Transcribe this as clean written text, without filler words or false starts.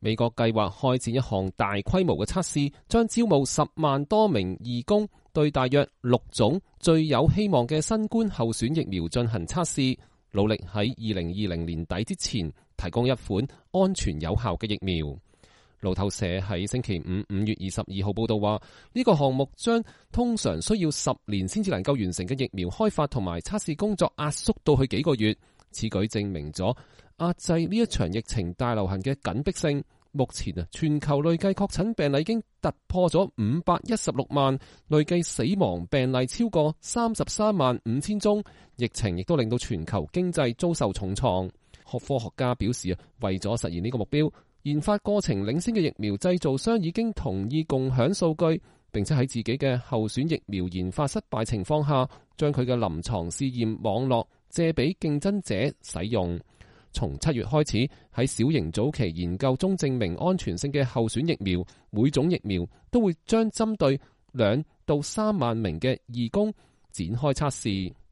美國計劃開展一項大規模嘅測試，將招募10萬多名義工，對大約6種最有希望嘅新冠候選疫苗進行測試，努力喺2020年底之前提供一款安全有效嘅疫苗。路透社喺星期5月22號報道話，呢個項目將通常需要10年先至能夠完成嘅疫苗開發同埋測試工作壓縮到去幾個月。此舉證明咗壓制呢一場疫情大流行嘅緊迫性。目前全球累計確診病例已經突破咗516萬，累計死亡病例超過33萬5千宗。疫情亦都令到全球經濟遭受重創。科學家表示為咗實現呢個目標，研發過程領先嘅疫苗製造商已經同意共享數據，並且喺自己嘅候選疫苗研發失敗情況下，將佢嘅臨床試驗網絡借俾競爭者使用。從7月開始，喺小型早期研究中證明安全性嘅候選疫苗，每種疫苗都會將針對2到3萬名嘅義工展開測試。